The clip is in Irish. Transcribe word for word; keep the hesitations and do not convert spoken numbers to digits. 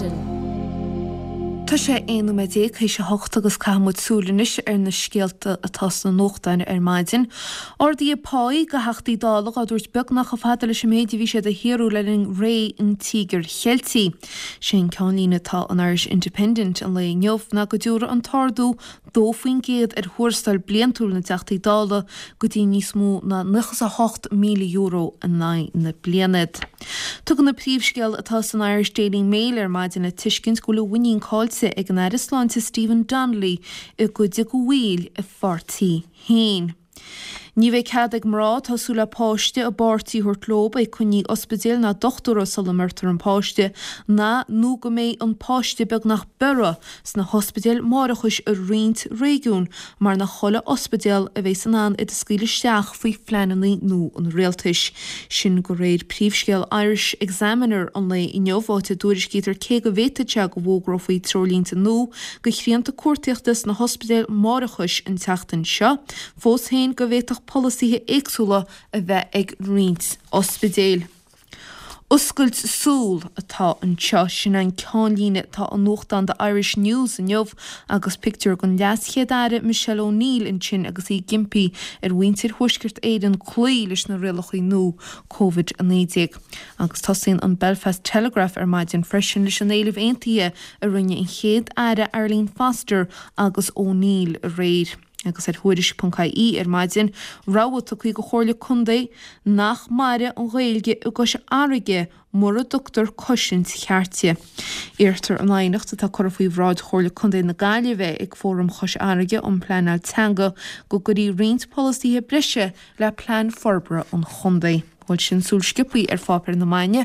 maidin. Tá sé aon nóiméad déag théis a hocht agus caithfidh muid súil anois ar na scéalta atá sna nuachtáin ar maidin. Arduithe páí do Theachtaí Dála á dtabhairt beagnach chomh fada leis an méid a bhí siad a shaothrú le linn ré an Tíogair Cheiltigh. Sé an ceannlíne atá in Irish Independent an lae inniu ná go dtabharfaidh an t-ardú dó faoin gcéad ar thuarastal bliantúil na dTeachtaí Dála go dtí níos mó ná nócha is a hocht míle euro in aghaidh na bliana. Tugann an príomhscéal atá san Irish Daily Mail ar maidin le tuiscint go bhfuil a mhuinín caillte ag an Aire Sláinte Stephen Donnelly i gcuid de bhaill a pháirtí féin. Ní bheidh cead ag mná atá ag súil le páiste a bpáirtí a thabhairt leo ag coinní ospidéil ná dochtúra sula mbeirtear an páiste ná nó go mbeidh an páiste beagnach beirthe sna hospidéil máithreachais i roinnt réigiún mar nach chuile ospidéal a bheidh in ann iad a scaoileadh isteach faoi phleananna nua an rialtais. Sin de réir príomhscéal Irish Examiner an lae inniu áit a dtuairiscítear cé go bhféadfadh sé go bhfógrófaí treoirlínte nua do shrianta cuartaíochta sna hospidéil máithreachais an tseachtain seo, fós féin go bhféadfadh polasaithe éagsúla a bheith ag roinnt ospidéil. Oscailt súl atá anseo sin an ceannlíne atá i nuachtán The Irish News inniu agus pictiúr den leaschéad-aire Michelle O'Neill ansin agus í ag impí ar mhuintir Thuaisceart Éireann cloí leis na rialacha nua Covid a naoi déag. Agus tosaíonn an Belfast Telegraph ar maidin freisin leis an éileamh aontaithe a rinne an chéad aire Arlene Foster agus O'Neill aréir. Agus ar Thuairisc.ie ar maidin, rabhadh tugtha do Chomhairle Contae nach mairfidh an Ghaeilge i gCois Fharraige mura dtugtar cosaint cheart di. Iarrtar in aighneacht atá curtha faoi bhráid Chomhairle Contae na Gaillimhe ag Fóram Chois Fharraige um Pleanáil Teanga go gcuirfí roinnt polasaithe breise le plean forbartha an chontae. Bhuel sin súil sciobtha ar pháipéir na maidine.